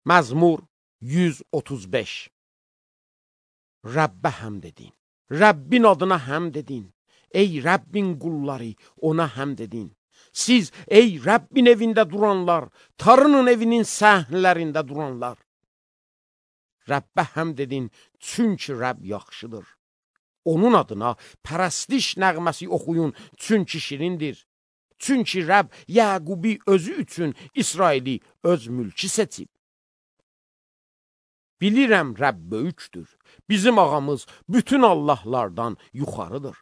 Məzmur 135. Rəbbə həmd edin. Rəbbin adına həmd edin. Ey Rəbbin qulları, ona həmd edin. Siz, ey Rəbbin evində duranlar, Tanrının evinin səhnələrində duranlar. Rəbbə həmd edin, çünki Rəbb yaxşıdır. Onun adına pərəstiş nəğməsi oxuyun, çünki şirindir. Çünki Rəbb Yəqubi özü üçün İsraili öz mülki seçib. Bilirəm Rəbb böyükdür. Bizim ağamız bütün Allahlardan yuxarıdır.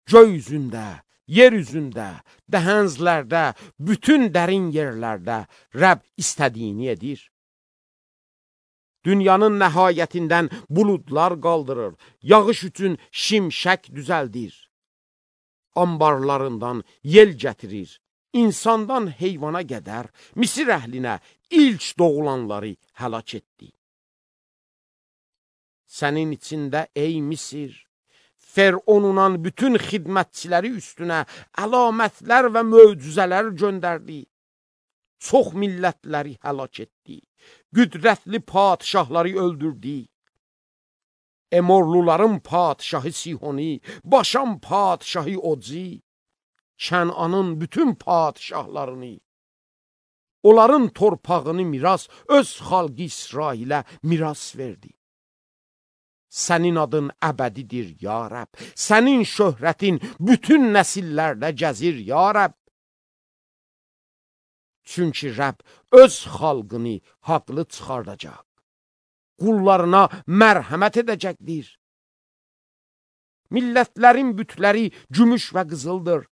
Göy üzündə, yer üzündə, dəhənzlərdə, bütün dərin yerlərdə Rəbb istədiyini edir. Dünyanın nəhayətindən buludlar qaldırır, yağış üçün şimşək düzəldir. Ambarlarından yel gətirir, insandan heyvana qədər Misir əhlinə ilk doğulanları həlak etdi. Sənin içində ey Misir, Fəronunun bütün xidmətçiləri üstünə əlamətlər və möcüzələr göndərdi. Çox millətləri həlak etdi. Qüdrətli padişahları öldürdü. Emorluların padişahı Sihoni, Başan padişahı Oci, Kənanın bütün padişahlarını, onların torpağını miras öz xalqı İsrailə miras verdi. Sənin adın əbədidir, ya Rəbb. Sənin şöhrətin bütün nəsillərdə gəzir, ya Rəbb. Çünki Rəbb öz xalqını haqlı çıxardacaq. Qullarına mərhəmət edəcəkdir. Millətlərin bütləri gümüş və qızıldır.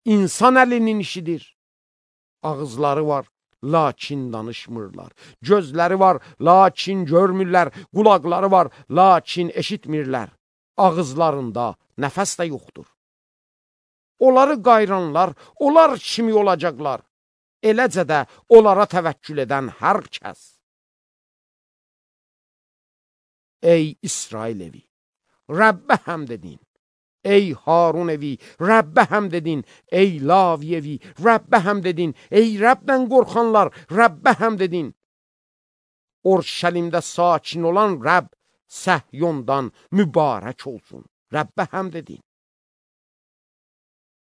İnsan əlinin işidir. Ağızları var, lakin danışmırlar. Gözləri var, lakin görmürlər. Qulaqları var, lakin eşitmirlər. Ağızlarında nəfəs də yoxdur. Onları qayranlar, onlar kimi olacaqlar. Eləcə də onlara təvəkkül edən hər kəs. Ey İsrail evi, Rəbbə həmd edin. Ey Harun evi, Rəbbə həmd edin. Ey Lavi evi, Rəbbə həmd edin. Ey Rəbdən qorxanlar, Rəbbə həmd edin. Orşəlimdə sakin olan Rəbb Səhyondan mübarək olsun. Rəbbə həmd edin.